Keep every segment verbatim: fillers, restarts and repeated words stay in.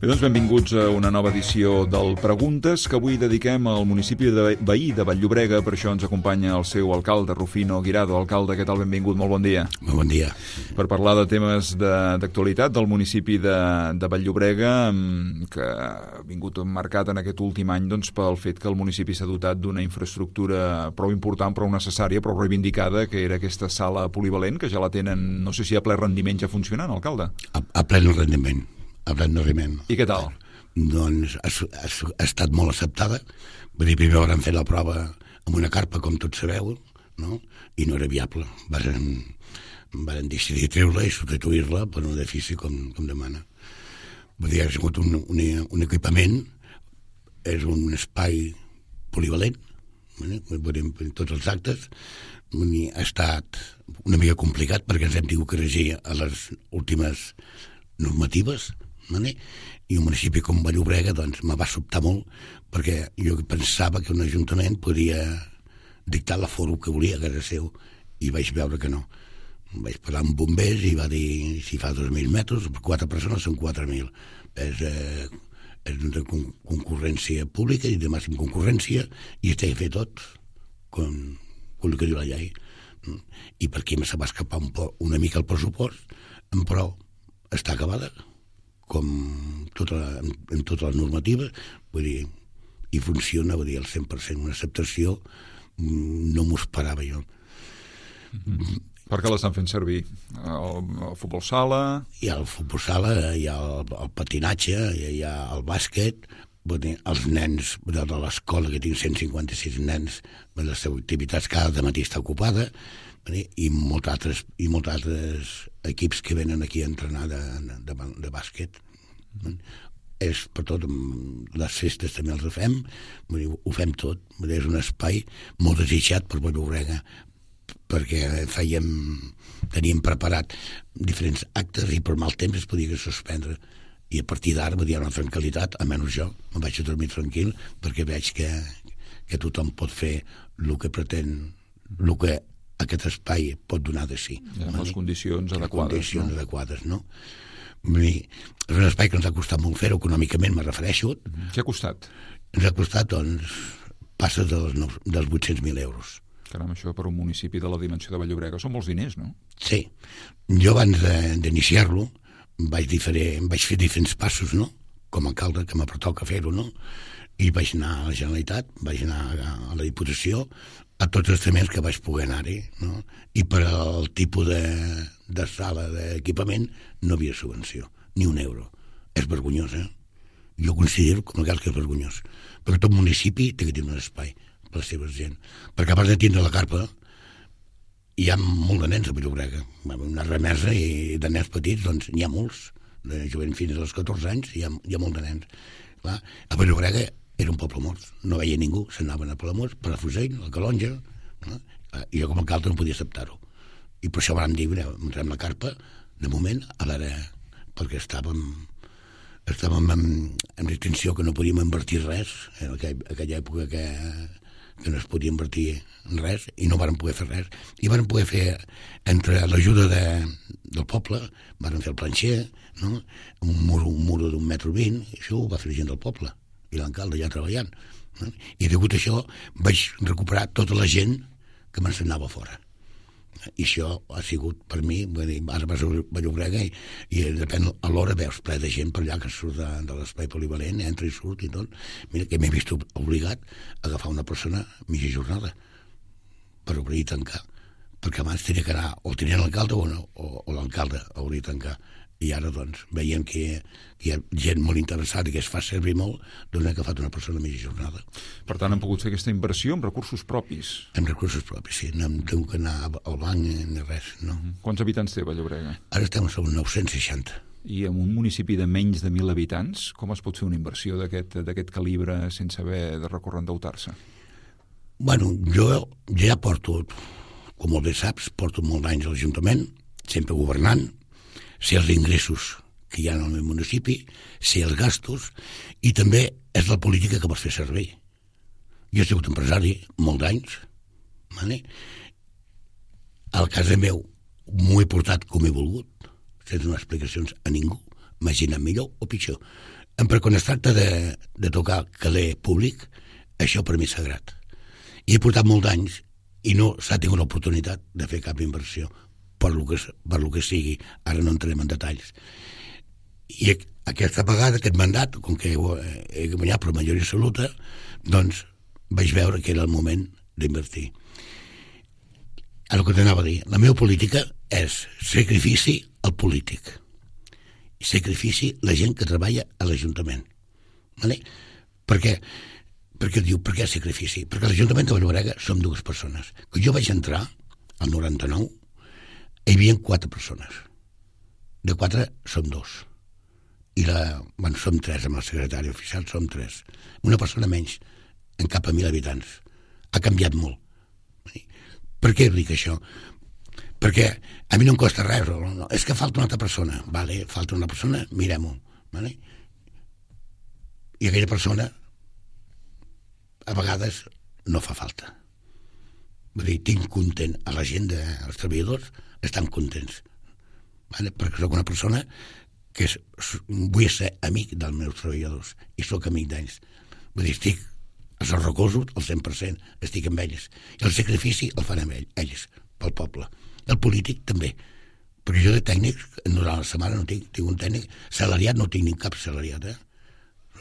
Bé, doncs benvinguts a una nova edició del Preguntes, que avui dediquem al municipi de veí de Vall-llobrega. Per això ens acompanya el seu alcalde, Rufino Guirado. Alcalde, què tal? Benvingut, molt bon dia. Molt bon dia. Per parlar de temes d'actualitat del municipi de, de Vall-llobrega, que ha vingut marcat en aquest últim any doncs, pel fet que el municipi s'ha dotat d'una infraestructura prou important, prou necessària, prou reivindicada, que era aquesta sala polivalent, que ja la tenen, no sé si a ple rendiment ja funcionant, alcalde. A, a ple rendiment. A ple rendiment. I què tal? Doncs ha, ha, ha estat molt acceptada. Vull dir, primer vam fer la prova amb una carpa, com tots sabeu, no? I no era viable. Varen, varen decidir treure-la i substituir-la per un edifici com, com demana. Vull dir, ha sigut un, un, un equipament, és un espai polivalent, vull dir, en tots els actes. Vull dir, ha estat una mica complicat perquè ens hem tingut que regir a les últimes normatives, vale? I un municipi com Vall-llobrega doncs me va sobtar molt perquè jo pensava que un ajuntament podia dictar l'aforo que volia a casa seu i vaig veure que no. Vaig parlar amb bombers i va dir si fa dos mil metres, quatre persones són quatre mil. És, eh, és una concurrència pública i de màxima concurrència i es té que fer tot com, com el que diu la llei. I per aquí se va escapar un po, una mica el pressupost, però està acabada com tota la, en, en tota la normativa, vull dir, i funciona, vull dir, al cent per cent, una acceptació no m'ho esperava jo. Mm-hmm. Per què l'estan fent servir? El, el futbol sala? Hi ha el futbol sala, hi ha el, el patinatge, hi ha el bàsquet, vull dir, els nens de l'escola, que tinc cent cinquanta-sis nens, les seves activitats cada matí està ocupada, i molts altres, i molts altres equips que venen aquí a entrenar de, de, de bàsquet. Mm. És per tot, les festes també els fem, vull dir, ho fem tot. Vull dir, és un espai molt desitjat per Vall-llobrega, perquè fèiem, teníem preparat diferents actes i per mal temps es podia suspendre. I a partir d'ara hi ha una tranquil·litat, almenys jo, me'n vaig a dormir tranquil, perquè veig que, que tothom pot fer el que pretén, el que aquest espai pot donar de si. Ja, amb les condicions adequades. Les condicions no? adequades, no? És un espai que ens ha costat molt fer-ho, econòmicament me refereixo. Mm. Què ha costat? Ens ha costat, doncs, passa dels, dels vuit-cents mil euros. Caram, això per un municipi de la dimensió de Vall-llobrega són molts diners, no? Sí. Jo abans d'iniciar-lo vaig, diferent, vaig fer diferents passos, no? Com a alcalde, que me pertoca fer-ho, no? I vaig anar a la Generalitat, vaig anar a la Diputació, a tots els temes que vaig poder anar-hi, no? I per al tipus de, de sala d'equipament no havia subvenció, ni un euro. És vergonyós, eh? Jo considero com a cas que és vergonyós, perquè tot municipi té que tenir un espai per a la seva gent, perquè a part de tindre la carpa hi ha molt de nens a Vall-llobrega, una remesa i de nens petits, doncs n'hi ha molts, de jovent fins als catorze anys hi ha, hi ha molt de nens. Clar, a Vall-llobrega era un poble mort, no veia ningú, s'anaven a Palamós, per a Fusell, a Calonja, no? I jo com a alcalde no podia acceptar-ho. I per això vam dir, entrem la carpa, de moment, a l'ara, perquè estàvem, estàvem en, en distinció que no podíem invertir res, en aquella, aquella època que, que no es podia invertir en res, i no vàrem poder fer res. I vàrem poder fer, entre l'ajuda de, del poble, vàrem fer el planxer, no? un muro, un muro d'un metre vint, i això ho va fer la gent del poble i l'alcalde ja treballant. No? I degut a això vaig recuperar tota la gent que m'ensenyava fora. I això ha sigut per mi, dir, ara vas a Vall-llobrega i, i depèn, a l'hora veus ple de gent per allà que surt de, de l'espai polivalent, entra i surt i tot. Mira que m'he vist obligat a agafar una persona mitja jornada per obrir i tancar, perquè abans tenia que anar o tenien l'alcalde o, no, o, o l'alcalde a obrir i tancar. I ara, doncs, veiem que, que hi ha gent molt interessada i que es fa servir molt, doncs hem agafat una persona mitja jornada. Per tant, han pogut fer aquesta inversió amb recursos propis? Amb recursos propis, sí. No hem tingut que anar al banc ni res, no. Mm-hmm. Quants habitants té Vall-llobrega? Ara estem a nou-cents seixanta. I en un municipi de menys de mil habitants, com es pot fer una inversió d'aquest calibre sense haver de recórrer a endeutar-se? Bueno, jo, jo ja porto, com molt bé saps, porto molts anys a l'Ajuntament, sempre governant, sé els ingressos que hi ha en el meu municipi, sé els gastos, i també és la política que vols fer servir. Jo he sigut empresari molts anys, vale? Al casa meu m'ho he portat com he volgut, sense donar explicacions a ningú, m'ha anat millor o pitjor. però quan es tracta de, de tocar caler públic, això per mi és sagrat. I he portat molts anys i no s'ha tingut l'oportunitat de fer cap inversió per lo que, per lo que sigui. Ara no entrem en detalls. I aquesta vegada, aquest mandat, com que he guanyat per majoria absoluta, doncs vaig veure que era el moment d'invertir. El que t'anava a dir, la meva política és sacrifici al polític i sacrifici la gent que treballa a l'Ajuntament. Vale? Per què? Perquè diu, per què sacrifici? Perquè a l'Ajuntament de Vall-llobrega som dues persones. Quan jo vaig entrar, al noranta-nou, hi havia quatre persones. De quatre som dos. I la, bueno, som tres, amb el secretari oficial som tres. Una persona menys en cap a mil habitants. Ha canviat molt. Per què dic això? Perquè a mi no em costa res. No, no. És que falta una altra persona. Vale, falta una persona, mirem-ho. Vale? I aquella persona a vegades no fa falta. Vull dir, tinc content a la gent, de, els treballadors estan contents. Vale? Perquè soc una persona que és, vull ser amic dels meus treballadors i sóc amic d'ells. Vull dir, estic als recosos al cent per cent, estic amb ells. I el sacrifici el fan amb ells, pel poble. El polític també. Perquè jo de tècnic, durant la setmana no tinc, tinc un tècnic salariat, no tinc ni cap salariat, eh?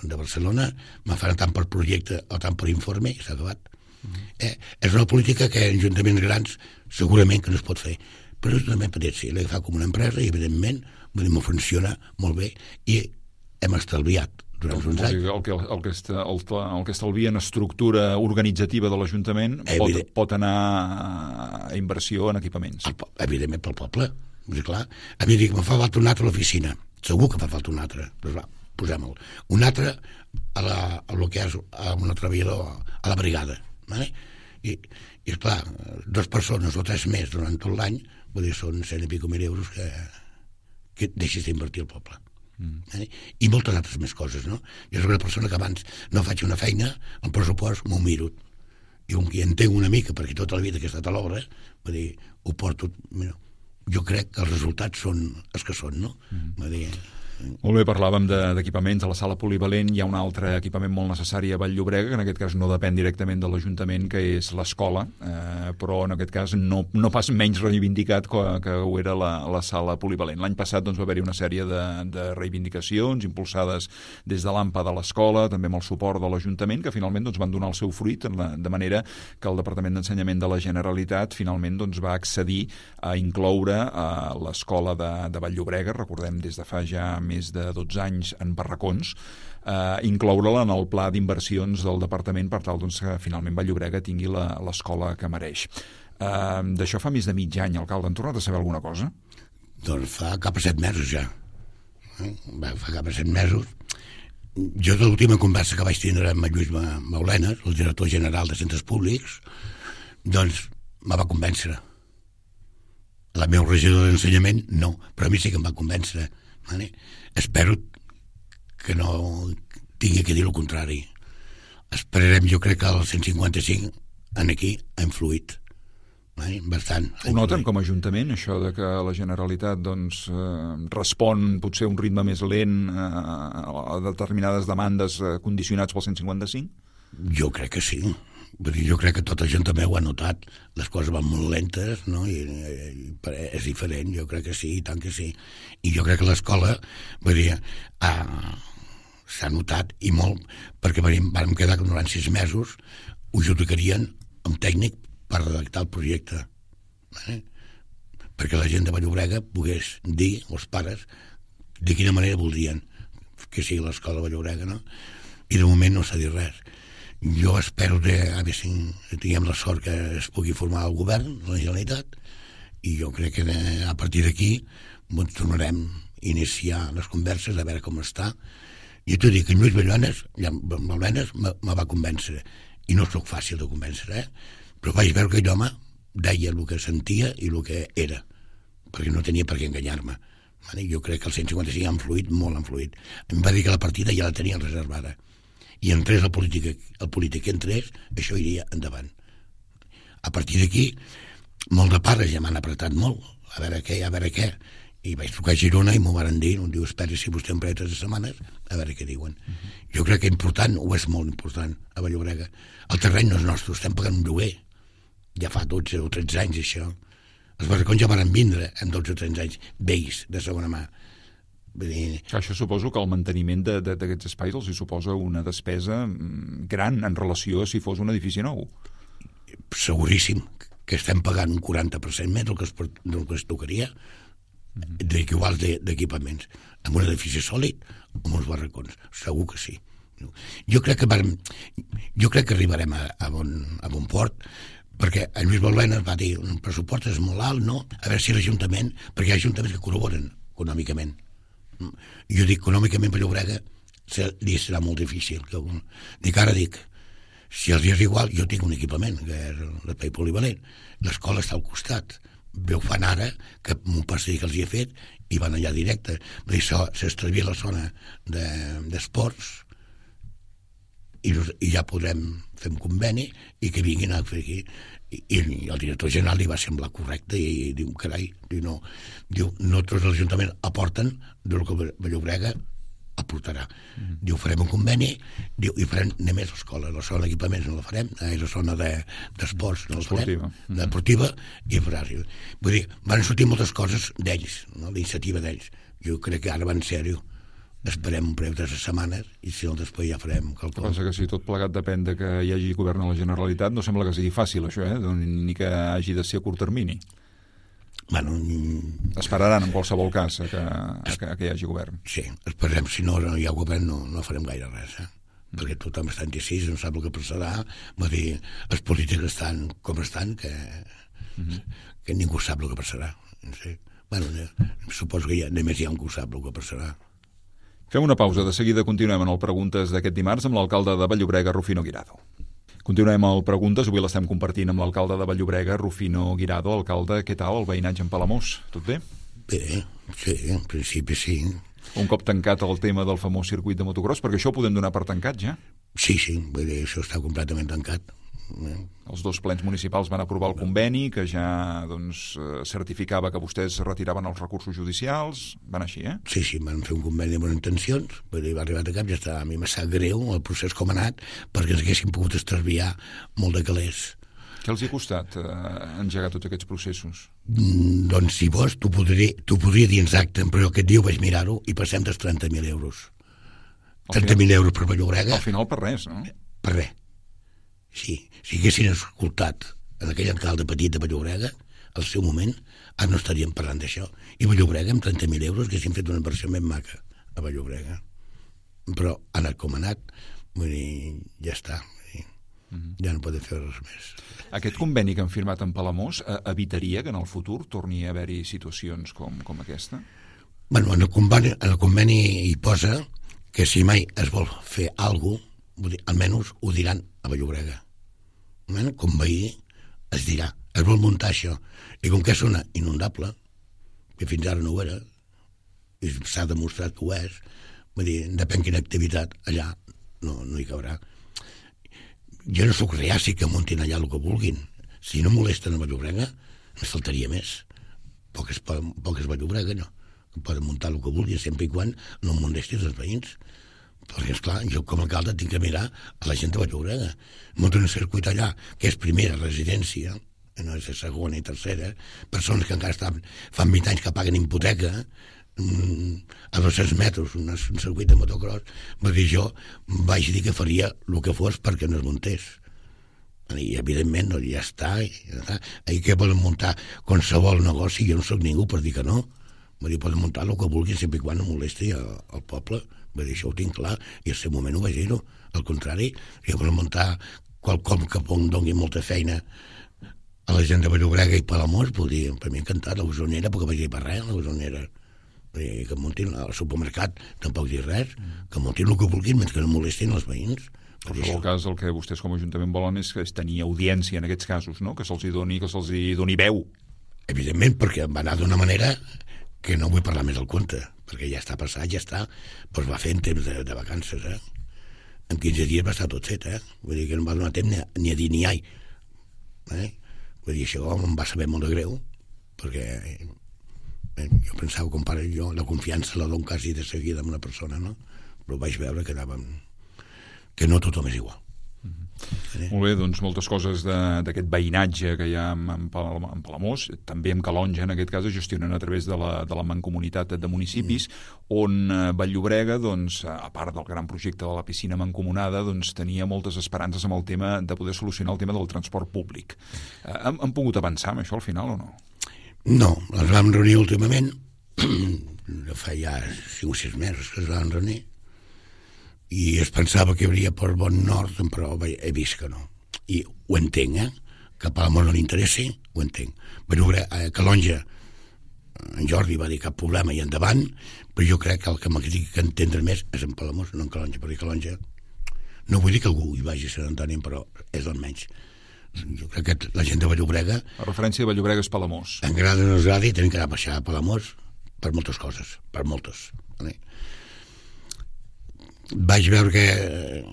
De Barcelona, me faran tant per projecte o tant per informe i s'ha acabat. Mm. Eh, és una política que en ajuntaments grans segurament que no es pot fer, però és també petits, sí, l'he agafat com una empresa i evidentment m'ho funciona molt bé i hem estalviat durant uns anys. El que, el, que està, el, el que estalvia en estructura organitzativa de l'Ajuntament pot, pot anar a inversió en equipaments. El, evidentment pel poble, és clar. A mi dic, me fa falta un altre a l'oficina, segur que fa falta un altre, doncs va, posem-lo. Un altre a, la, a lo que és a un treballador a la brigada. Vale? I, i esclar, dues persones o tres més durant tot l'any, vull dir, són cent i pico mil euros que, que deixis d'invertir al poble. Mm. Vale? I moltes altres més coses, no? Jo soc una persona que abans no faig una feina, el pressupost m'ho miro. I com que entenc una mica, perquè tota la vida que he estat a l'obra, vull dir, ho porto... Mira, jo crec que els resultats són els que són, no? Mm. Vull dir... Molt bé, parlàvem d'equipaments. A la sala polivalent hi ha un altre equipament molt necessari a Vall-llobrega, que en aquest cas no depèn directament de l'Ajuntament, que és l'escola, eh, però en aquest cas no, no pas menys reivindicat que, que ho era la, la sala polivalent. L'any passat doncs, va haver-hi una sèrie de, de reivindicacions impulsades des de l'AMPA de l'escola, també amb el suport de l'Ajuntament, que finalment doncs, van donar el seu fruit, la, de manera que el Departament d'Ensenyament de la Generalitat finalment doncs, va accedir a incloure a l'escola de, de Vall-llobrega, recordem des de fa ja més de dotze anys en barracons, eh, incloure-la en el pla d'inversions del departament per tal doncs, que finalment Vall-llobrega tingui l'escola que mereix. Eh, D'això fa més de mig any, alcalde. Han tornat a saber alguna cosa? Doncs fa cap a set mesos ja. Eh? Fa cap a set mesos. Jo de l'última conversa que vaig tindre amb Lluís Maulenes, el director general de centres públics, doncs me va convèncer. La meva regidora d'ensenyament no, però a mi sí que em va convèncer. Vale? Espero que no tingui que dir el contrari. Esperarem, jo crec que el cent cinquanta-cinc en aquí ha influït. Vale? Bastant. Ho noten com a Ajuntament, això de que la Generalitat doncs, eh, respon potser a un ritme més lent eh, a determinades demandes eh, condicionats pel cent cinquanta-cinc? Jo crec que sí. Jo crec que tot això també ho ha notat. Les coses van molt lentes, no? I, i, i és diferent, jo crec que sí, i tant que sí. I jo crec que l'escola, vull dir, ah, s'ha notat i molt, perquè vam quedar que durant sis mesos ho judicarien amb tècnic per redactar el projecte. Eh? Perquè la gent de Vall-llobrega pogués dir, els pares, de quina manera voldrien que sigui l'escola de Vall-llobrega, no? I de moment no s'ha dit res. Jo espero que a veure si tinguem la sort que es pugui formar el govern, la Generalitat, i jo crec que a partir d'aquí doncs, tornarem a iniciar les converses a veure com està. I t'ho dic, que Lluís Maulenes me va convèncer, i no sóc fàcil de convèncer, eh? Però vaig veure que aquell home deia el que sentia i el que era, perquè no tenia per què enganyar-me. Jo crec que el cent cinquanta-cinc ha influït, molt ha influït. Em va dir que la partida ja la tenia reservada. I entrés el polític, el polític que entrés, això iria endavant. A partir d'aquí, molt de pares ja m'han apretat molt, a veure què, a veure què, I vaig trucar a Girona i m'ho van dir, em diu, espera si vostè em preta tres setmanes, a veure què diuen. Uh-huh. Jo crec que important, o és molt important, a Vall-llobrega. El terreny no és nostre, estem pagant un lloguer. Ja fa dotze o tretze anys, això. Els barracons ja van vindre en dotze o tretze anys, vells, de segona mà. Dir... Això suposo que el manteniment d'aquests espais els hi suposa una despesa gran en relació a si fos un edifici nou. Seguríssim que estem pagant un quaranta per cent més del que es, del que es tocaria d'iguals d'equipaments amb un edifici sòlid o amb uns barracons, segur que sí. Jo crec que vam, jo crec que arribarem a, a, bon, a bon port, perquè en Lluís Balbena va dir un pressupost és molt alt, no? A veure si l'Ajuntament, perquè hi ha ajuntaments que col·laboren econòmicament. Jo dic, econòmicament per Llobrega li serà molt difícil. Dic, ara dic, si els és igual, jo tinc un equipament, que és l'espai polivalent, l'escola està al costat, veu fan ara que m'ho passi que els hi he fet i van allà directe. Vull dir, s'estalvia la zona d'esports i, i ja podrem fer un conveni i que vinguin a fer aquí. I, i el director general li va semblar correcte i, i diu, carai, diu, no, diu, no tots els ajuntaments aporten del que Vall-llobrega aportarà. Mm-hmm. Diu, farem un conveni, diu, i farem només l'escola, la zona d'equipaments no la farem, eh, la zona d'esports de, no la farem, mm-hmm. deportiva i farària. Vull dir, van sortir moltes coses d'ells, no? L'iniciativa d'ells. Jo crec que ara va en sèrio. Esperem un preu de tres setmanes i si no després ja farem quelcom. Pensa que si tot plegat depèn de que hi hagi govern a la Generalitat, no sembla que sigui fàcil això, eh? Ni que hagi de ser a curt termini. Bueno, esperaran en qualsevol cas a que, a que, a que hi hagi govern. Sí, esperem. Si no, no hi ha govern no, no farem gaire res, eh? Mm. Perquè tothom està indecís, no sap el que passarà. Vull dir, els polítics estan com estan, que, mm-hmm. que ningú sap el que passarà. Sí. Bueno, suposo que ja, només hi ha un que sap el que passarà. Fem una pausa, de seguida continuem en el Preguntes d'aquest dimarts amb l'alcalde de Vall-llobrega, Rufino Guirado. Continuem al Preguntes, avui l'estem compartint amb l'alcalde de Vall-llobrega, Rufino Guirado. Alcalde, què tal el veïnatge en Palamós? Tot bé? Bé, sí, en principi sí. Un cop tancat el tema del famós circuit de motocross, perquè això ho podem donar per tancat ja? Sí, sí, vull dir, això està completament tancat. Els dos plens municipals van aprovar el conveni que ja doncs, certificava que vostès retiraven els recursos judicials. Van així, eh? Sí, sí, van fer un conveni de bones intencions, vull dir, va arribar a cap, ja està, a mi m'ha sap greu el procés com ha anat, perquè ens haguéssim pogut estalviar molt de calés. Què els hi ha costat eh, engegar tots aquests processos? Mm, doncs si vols, t'ho podria, t'ho podria dir exacte, però aquest dia ho vaig mirar-ho i passem dels trenta mil euros. trenta mil euros per Vall-llobrega. Al final per res, no? Per res. Sí, si haguessin escoltat en aquell alcalde petit de Vall-llobrega, al seu moment, ara no estaríem parlant d'això. I Vall-llobrega, amb trenta mil euros, haguessin fet una inversió més maca a Vall-llobrega. Però ha anat com ha anat, vull dir, ja està. Mm-hmm. Ja no podem fer res més. Aquest conveni que han firmat en Palamós eh, evitaria que en el futur torni a haver-hi situacions com, com aquesta? Bueno, en el conveni, en el conveni hi posa que si mai es vol fer alguna cosa, almenys ho diran a Vall-llobrega. Com veí es dirà, es vol muntar això. I com que és una inundable, que fins ara no ho era, i s'ha demostrat que ho és, vull dir, depèn quina activitat allà no, no hi cabrà. Jo no sóc reaci que muntin allà el que vulguin. Si no molesten a Vall-llobrega, ens faltaria més. Poques, poques Vall-llobrega, no. Poden muntar el que vulguin, sempre i quan no molestin els veïns. Perquè, esclar, jo com a alcalde tinc que mirar a la gent de Vall-llobrega. Munten un circuit allà, que és primera residència, no és segona i tercera, persones que encara estan, fan vint anys que paguen hipoteca, a dos-cents metres, un, un circuit de motocross. Vull dir, jo vaig dir que faria el que fos perquè no es muntés. I, evidentment, no, ja està. Ja està. Ahir que volen muntar qualsevol negoci, jo no soc ningú per dir que no. Vull dir, poden muntar el que vulguin sempre i quan no molesti al poble. Vull dir, això ho tinc clar, i al seu moment ho vaig dir-ho. Al contrari, si volen muntar qualcom que doni molta feina a la gent de Vall-llobrega i Palamós, vull dir, per mi encantat, la Usonera, perquè vaig dir per res, la Usonera. Vull dir, que muntin al supermercat, tampoc dir res, que muntin el que vulguin, mentre que no molestin els veïns. En qualsevol cas, el que vostès com a Ajuntament volen és, és tenir audiència en aquests casos, no? Que se'ls doni, que se'ls doni veu. Evidentment, perquè va anar d'una manera que no vull parlar més al compte, perquè ja està passat, ja està, doncs va fer en temps de, de vacances, eh? En quinze dies va estar tot fet, eh? Vull dir que no va donar temps ni a, ni a dir ni ai. Eh? Vull dir, això em va saber molt de greu, perquè Jo pensava, com pare, jo la confiança la dono quasi de seguida amb una persona, no? Però vaig veure que anàvem... que no tothom és igual. Mm-hmm. Molt bé, doncs moltes coses d'aquest veïnatge que hi ha en, en Palamós, també en Calonja, en aquest cas, es gestionen a través de la, de la mancomunitat de municipis, mm. on eh, Vall-llobrega, doncs, a part del gran projecte de la piscina mancomunada, doncs, tenia moltes esperances amb el tema de poder solucionar el tema del transport públic. Eh, han, han pogut avançar amb això al final o no? No, els vam reunir últimament, fa ja cinc o sis mesos que es van reunir, i es pensava que hi hauria per bon nord, però he vist que no. I ho entenc, eh? Que a Palamós no li interessi, ho entenc. Però a Calonja, en Jordi va dir cap problema i endavant, però jo crec que el que m'ha que entendre més és en Palamós, no en Calonja, perquè Calonja no vull dir que algú hi vagi a Sant Antoni, però és el menys. Jo crec que la gent de Vall-llobrega... La referència de Vall-llobrega és Palamós. En grada o no es gradi, tenen que anar a baixar a Palamós per moltes coses, per moltes. Vale? Vaig veure que,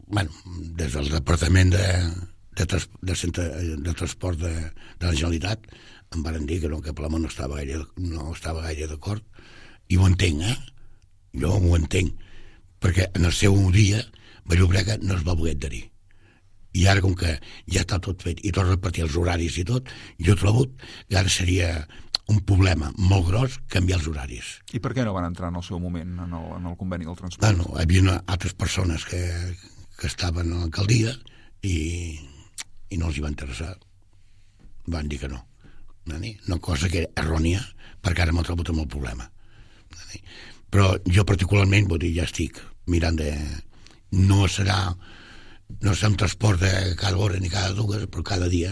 bueno, des del Departament de, de, trans, de, centre, de Transport de, de la Generalitat em van dir que no, que Palamós no estava gaire, no estava gaire d'acord, i ho entenc, eh? Jo ho entenc, perquè en el seu dia Vall-llobrega no es va voler adherir. I ara, com que ja està tot fet i tot repartir els horaris i tot, jo trobo que ara seria un problema molt gros canviar els horaris. I per què no van entrar en el seu moment en el, en el conveni del transport? Bueno, hi havia altres persones que, que estaven a l'alcaldia i, i no els hi va interessar. Van dir que no. Una cosa que era errònia, perquè ara m'ho trobo amb el problema. Però jo particularment, vull dir, ja estic mirant de... No serà... No serà un transport de cada hora ni cada dues, però cada dia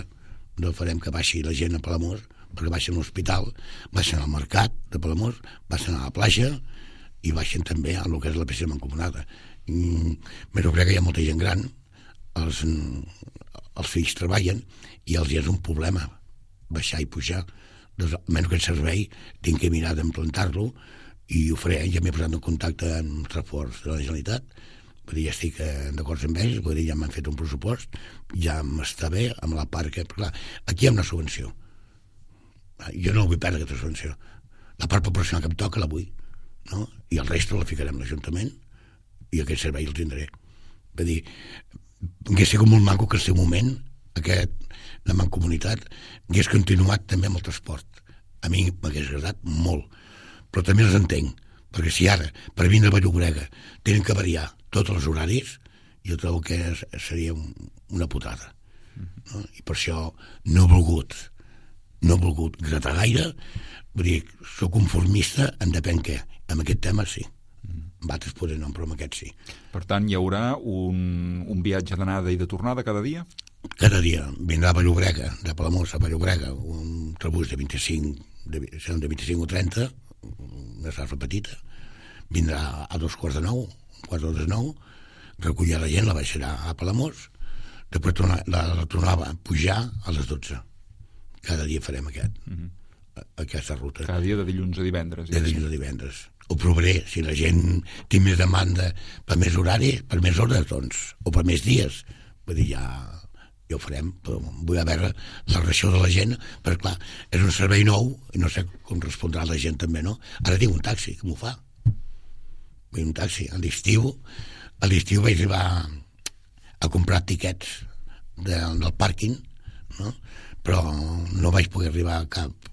no farem que baixi la gent a Palamós, perquè baixen a l'hospital, baixen al mercat de Palamós, baixen a la platja i baixen també a el que és la piscina mancomunada. Però crec que hi ha molta gent gran, els, els fills treballen i els hi és un problema baixar i pujar. Doncs, almenys aquest servei tinc que mirar d'implantar-lo i ho faré. Ja m'he posat en contacte amb transports de la Generalitat, vull dir, ja estic d'acord amb ells, vull dir, ja m'han fet un pressupost, ja m'està bé amb la part que... Clar, aquí hi ha una subvenció. Jo no vull perdre aquesta subvenció. La part proporcional que em toca la vull, no? I el resto la ficarem a l'Ajuntament i aquest servei el tindré. Vull dir, hauria sigut molt maco que al seu moment aquest, la mancomunitat hagués continuat també amb el transport. A mi m'hagués agradat molt, però també els entenc, perquè si ara, per vindre a Vall-llobrega, tenen que variar tots els horaris, jo trobo que seria una putada. No? I per això no he volgut, no he volgut gratar gaire, vull dir, soc conformista en depèn què. En aquest tema sí. Amb altres potser no, però en aquest sí. Per tant, hi haurà un, un viatge d'anada i de tornada cada dia? Cada dia. Vindrà a Vall-llobrega, de Palamós a Vall-llobrega, un autobús de vint-i-cinc, de, de vint-i-cinc o trenta, una sarfa petita, vindrà a dos quarts de nou, un quart de les nou, recollir la gent, la baixarà a Palamós, després tornar, la, la tornava a pujar a les dotze. Cada dia farem aquest, mm-hmm. aquesta ruta. Cada dia de dilluns a divendres. De dilluns a divendres. Ho provaré, si la gent té més demanda per més horari, per més hores, doncs, o per més dies. Vull dir, ja, ja ho farem, però vull veure la reacció de la gent, perquè clar, és un servei nou, i no sé com respondrà la gent també, no? Ara tinc un taxi, que m'ho fa. Vull un taxi. A l'estiu, a l'estiu vaig arribar a comprar tiquets de, del pàrquing, no? Però no vaig poder arribar a cap,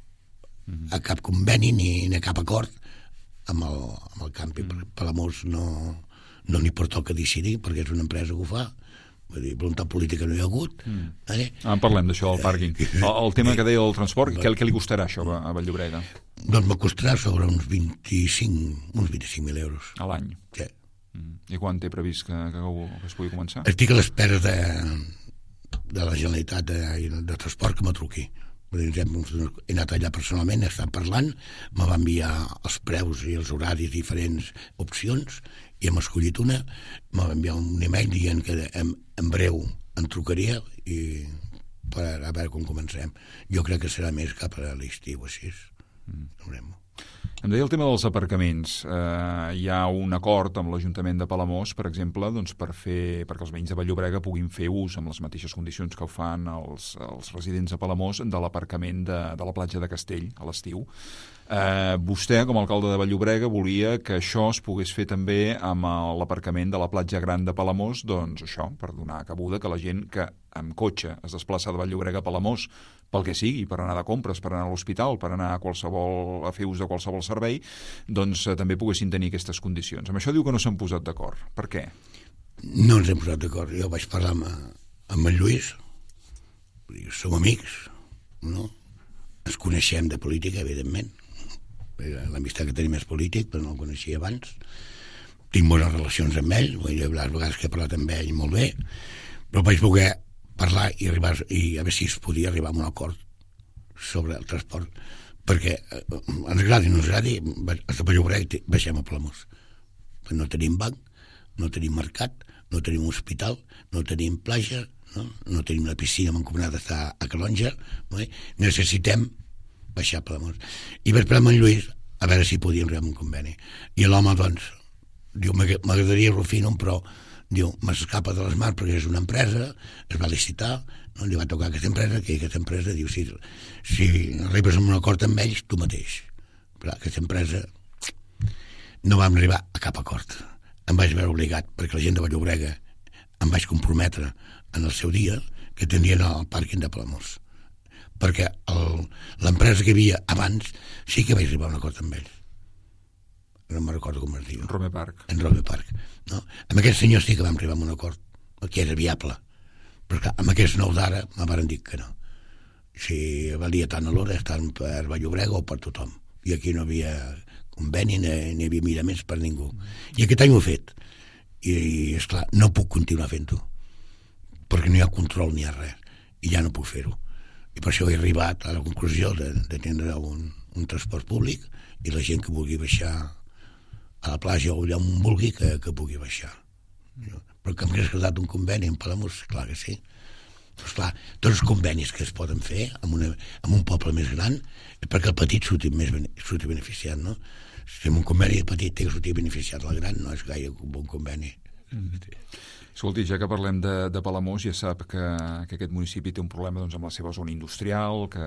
a cap conveni ni, ni a cap acord amb el, amb el campi. Mm. Palamós no, no n'hi pertoca decidir, perquè és una empresa que ho fa. Vull dir, voluntat política no hi ha hagut. Mm. Eh? Ah, parlem d'això, del pàrquing. El, el tema que deia del transport, què, què li costarà això a Vall-llobrega? Doncs me costarà sobre uns vint-i-cinc, uns vint-i-cinc mil euros. A l'any? Sí. Mm. I quan té previst que, que, que es pugui començar? Estic a l'espera de, de la Generalitat de, de Transport que me truqui. He anat allà personalment, he estat parlant, me va enviar els preus i els horaris, diferents opcions, i hem escollit una, me va enviar un email dient que en, en breu em trucaria i per a veure com comencem. Jo crec que serà més cap a l'estiu, així. Mm. Veurem-ho. Em deia el tema dels aparcaments. Eh, hi ha un acord amb l'Ajuntament de Palamós, per exemple, doncs per fer, perquè els veïns de Vall-llobrega puguin fer ús amb les mateixes condicions que ho fan els, els residents de Palamós de l'aparcament de, de la platja de Castell a l'estiu. Eh, vostè, com a alcalde de Vall-llobrega, volia que això es pogués fer també amb l'aparcament de la platja gran de Palamós, doncs això, per donar cabuda que la gent que amb cotxe es desplaça de Vall-llobrega a Palamós, pel que sigui, per anar de compres, per anar a l'hospital, per anar a, qualsevol, a fer ús de qualsevol servei, doncs eh, també poguessin tenir aquestes condicions. Amb això diu que no s'han posat d'acord. Per què? No ens hem posat d'acord. Jo vaig parlar amb, amb en Lluís, som amics, no? Ens coneixem de política, evidentment. L'amistat que tenim és polític, però no el coneixia abans. Tinc bones relacions amb ell, les vegades que he parlat amb ell molt bé, però vaig voler parlar i, arribar, i a veure si es podia arribar a un acord sobre el transport, perquè eh, ens agradi o no ens agradi, a Vall-llobrega baixem a Palamós. No tenim banc, no tenim mercat, no tenim hospital, no tenim platja, no, no tenim la piscina mancomunada està a Calonja, no? Necessitem baixar a Palamós. I vaig parlar amb en Lluís a veure si podíem arribar a un conveni. I l'home, doncs, diu, m'agradaria Rufino, però diu, m'escapa de les mans perquè és una empresa, es va licitar, no? Li va tocar aquesta empresa, que aquesta empresa diu, si, si arribes a un acord amb ells, tu mateix. Però aquesta empresa no vam arribar a cap acord. Em vaig veure obligat, perquè la gent de Vall-llobrega em vaig comprometre en el seu dia que tindrien el pàrquing de Palamós. Perquè l'empresa que hi havia abans sí que vaig arribar a un acord amb ells. No me'n recordo com es diu. En Rome Park. En Rome Park. No? Amb aquests senyors sí que vam arribar a un acord, que era viable. Però clar, amb aquests nous d'ara me van dir que no. Si valia tant a l'hora estar per Vall-llobrega o per tothom. I aquí no havia conveni, ni, ni havia miraments per ningú. I aquest any ho he fet. I, esclar, no puc continuar fent-ho. Perquè no hi ha control ni hi ha res. I ja no puc fer-ho. I per això he arribat a la conclusió de, de tindre un, un transport públic i la gent que vulgui baixar a la platja o allà on vulgui que, que pugui baixar. Però que m'hagués agradat un conveni en Palamós, clar que sí. Però esclar, tots els convenis que es poden fer en, una, en un poble més gran és perquè el petit surti, més, surti beneficiat, no? Si en un conveni petit té que sortir beneficiat el gran, no és gaire un bon conveni. Mm. Escolti, ja que parlem de, de Palamós, ja sap que, que aquest municipi té un problema doncs, amb la seva zona industrial, que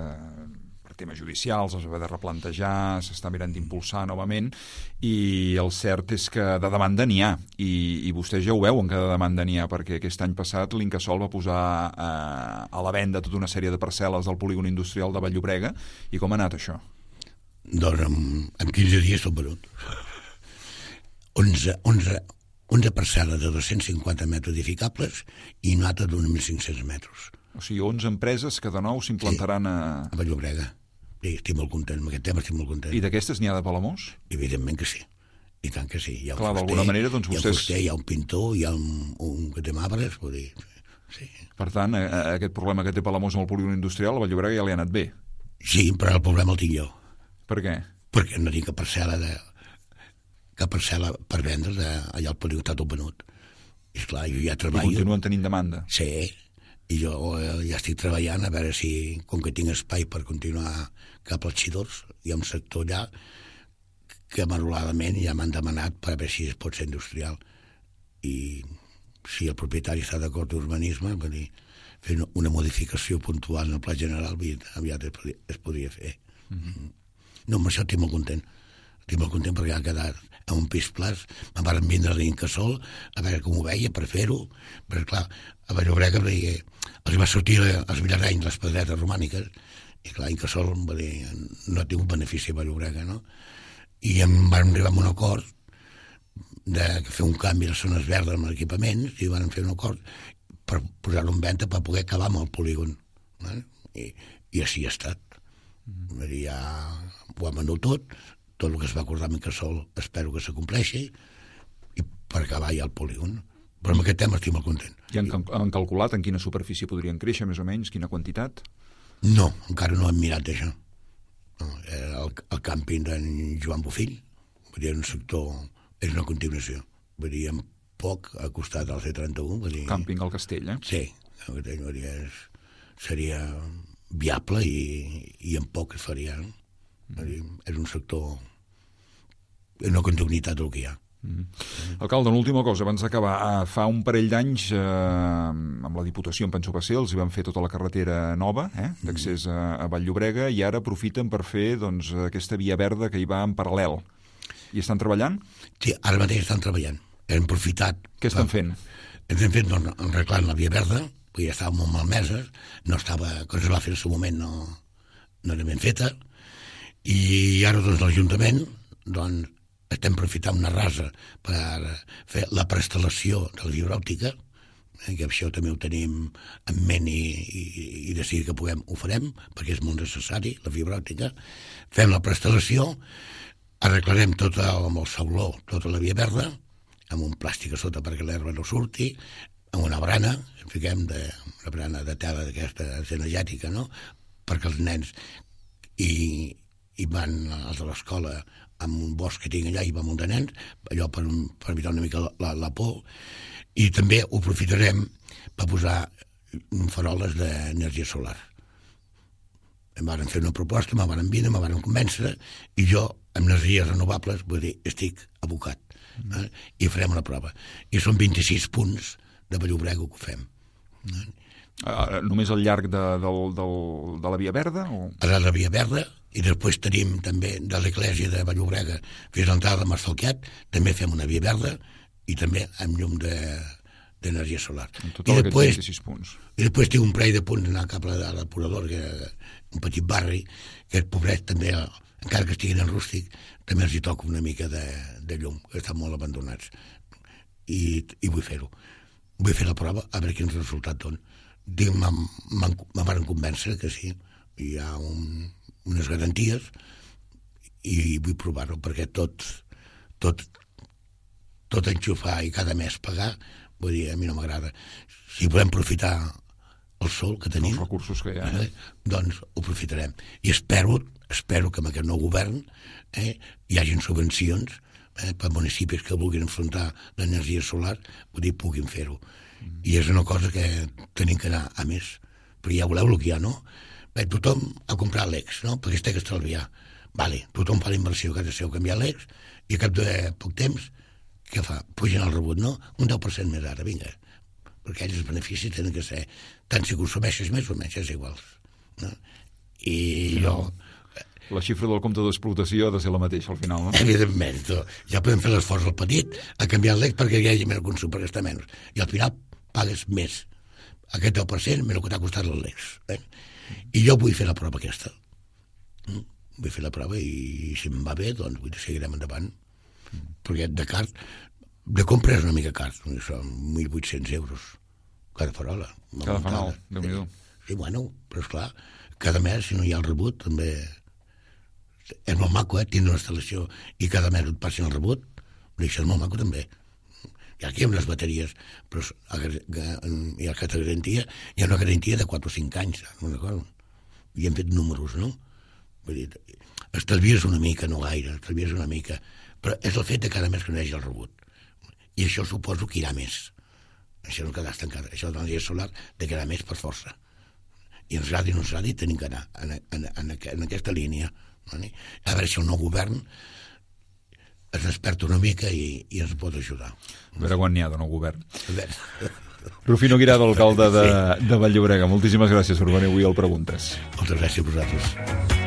per temes judicials es va de replantejar, s'està mirant d'impulsar novament, i el cert és que de demanda n'hi ha, i, i vostès ja ho veuen que de demanda n'hi ha, perquè aquest any passat l'Incasòl va posar eh, a la venda tota una sèrie de parcel·les del polígon industrial de Vall-llobrega, i com ha anat això? Doncs en, en quinze dies tot venut. onze, onze, onze parcel·les de dos-cents cinquanta metres edificables i una altra d'uns mil cinc-cents metres. O sigui, onze empreses que de nou s'implantaran sí, a... a Vall-llobrega. Sí, estic molt content, amb aquest tema estic molt content. I d'aquestes n'hi ha de Palamós? Evidentment que sí. I tant que sí. Hi ha un Clar, fuster, d'alguna manera, doncs vostès... Hi ha un fuster, hi ha un pintor, hi ha un, un que té marbres, vull dir... Sí. Per tant, a, a aquest problema que té Palamós amb el polígon industrial, a Vall-llobrega ja li ha anat bé. Sí, però el problema el tinc jo. Per què? Perquè no tinc cap parcel·la de... cap parcel·la per vendre de... allà al polígon està tot venut. I esclar, jo ja treballo... I continuen tenint demanda? Sí, i jo ja estic treballant a veure si, com que tinc espai per continuar cap als Xidors, hi ha un sector allà que maroladament ja m'han demanat per a veure si es pot ser industrial. I si el propietari està d'acord d'urbanisme, vull dir, fer una modificació puntual en el pla general aviat es podria, es podria fer. Mm-hmm. No, amb això estic molt content. Estic molt content perquè ha quedat en un pis plàs. Me'n van vindre a l'Incasòl a veure com ho veia per fer-ho, perquè clar, a Vall-llobrega els va sortir els villarenys, les pedretes romàniques, i clar, Incasòl dir, no ha tingut benefici a Vall-llobrega, no? I em van arribar a un acord de fer un canvi a les zones verdes amb equipaments, i van fer un acord per posar-ho en venda per poder acabar amb el polígon. Eh? I, i així ha estat. Mm. Dir, ja ho ha venut tot, tot el que es va acordar amb Incasòl espero que s'acompleixi, i per acabar ja el polígon. Però amb aquest tema estic molt content. I han, han calculat en quina superfície podrien créixer, més o menys, quina quantitat? No, encara no hem mirat això. No, el, el càmping d'en Joan Bofill, vull dir, un sector, és una continuació. Vull dir, en poc ha costat el C trenta-u. Vull dir, càmping al Castell, eh? Sí, vull dir, és, seria viable i, i en poc es faria. No? Vull dir, és un sector, és una continuïtat del que hi ha. Mm. Alcalde, una última cosa, abans d'acabar. Fa un parell d'anys, eh, amb la Diputació, em penso que va ser, els hi van fer tota la carretera nova, eh, d'accés a, a Vall-llobrega, i ara aprofiten per fer doncs, aquesta via verda que hi va en paral·lel. I estan treballant? Sí, ara mateix estan treballant. Hem aprofitat... Què estan fent? Estem fent, doncs, arreglant la via verda, perquè ja estava molt malmeses, no estava, quan es va fer en el seu moment no, no era ben feta, i ara doncs l'Ajuntament doncs, estem aprofitant una rasa per fer la prestal·lació de la fibra òptica, eh, que això també ho tenim en ment i, i, i decidir que puguem, ho farem, perquè és molt necessari, la fibra òptica. Fem la prestal·lació, arreglarem tot el, amb el sauló, tota la via verda, amb un plàstic a sota perquè l'herba no surti, amb una brana, fiquem de, una brana de tela d'aquesta energètica, no?, perquè els nens i, i van als de l'escola amb un bosc que tinc allà i va un munt de nens, allò per, per evitar una mica la, la, la por, i també ho aprofitarem per posar faroles d'energia solar. Em van fer una proposta, me van vindre, me van convèncer, i jo, amb energies renovables, vull dir, estic abocat. Eh? I farem una prova. I són vint-i-sis punts de Vall-llobrega que ho fem. Eh? Uh, només al llarg de, del, del, de la via verda? O... A la via verda, i després tenim també de l'església de Vall-llobrega fins a l'entrada de Massalquiat, també fem una via verda i també amb llum de, d'energia solar. En total, I després, vint-i-sis punts. I després tinc un parell de punts anar cap a l'apurador, que un petit barri, que el pobret també, encara que estiguin en rústic, també els hi toca una mica de, de llum, que estan molt abandonats. I, i vull fer-ho. Vull fer la prova, a veure quin resultat dona. Dic, me van convèncer que sí, hi ha un, unes garanties i vull provar-ho, perquè tot, tot, tot enxufar i cada mes pagar, vull dir, a mi no m'agrada. Si podem aprofitar el sol que tenim, els recursos que hi ha, eh, doncs ho aprofitarem. I espero, espero que amb aquest nou govern eh, hi hagin subvencions eh, per municipis que vulguin enfrontar l'energia solar, vull dir, puguin fer-ho. Mm. I és una cosa que tenim que anar a més, perquè ja voleu el que hi ha, no? Bé, tothom ha comprat l'E X, no? Perquè es té que estalviar. Vale, tothom fa la inversió que ha de ser canviar l'E X, i a cap de poc temps, què fa? Pugen el rebut, no? Un deu per cent més ara, vinga. Perquè ells els beneficis tenen que ser, tant si consumeixes més o menys, és igual. No? I jo... La xifra del compte d'explotació ha de ser la mateixa al final, no? Evidentment, ja podem fer l'esforç al petit a canviar l'E X perquè hi hagi més consum, per gastar menys. I al final pagues més. Aquest deu per cent més el que t'ha costat l'E X. Eh? I jo vull fer la prova aquesta. Mm? Vull fer la prova i si em va bé, doncs vull seguirem endavant. Mm. Perquè de car, de compra és una mica car, són mil vuit-cents euros cada farola. Cada fanal, Déu-n'hi-do. Sí, bueno, però esclar, cada mes, si no hi ha el rebut, també... És molt maco, eh, tindre una instal·lació i cada mes et passin el rebut, això és molt maco també. I aquí hi ha unes bateries, però hi ha aquesta garantia, hi ha una garantia de quatre o cinc anys, una cosa. I hem fet números, no? Vull dir, estalvies una mica, no gaire, estalvies una mica, però és el fet de cada mes que no hi hagi el rebut. I això suposo que irà més. Això no quedarà estancat, això de l'energia solar de quedar més per força. I ens agradi o no ens agradi, tenim que anar en, en, en, en aquesta línia. A veure si el nou govern es desperta una mica i, i ens pot ajudar. A veure quan n'hi ha de nou govern. Rufino Guirado, alcalde de, de Vall-llobrega, moltíssimes gràcies per venir avui al Preguntes. Moltes gràcies a vosaltres.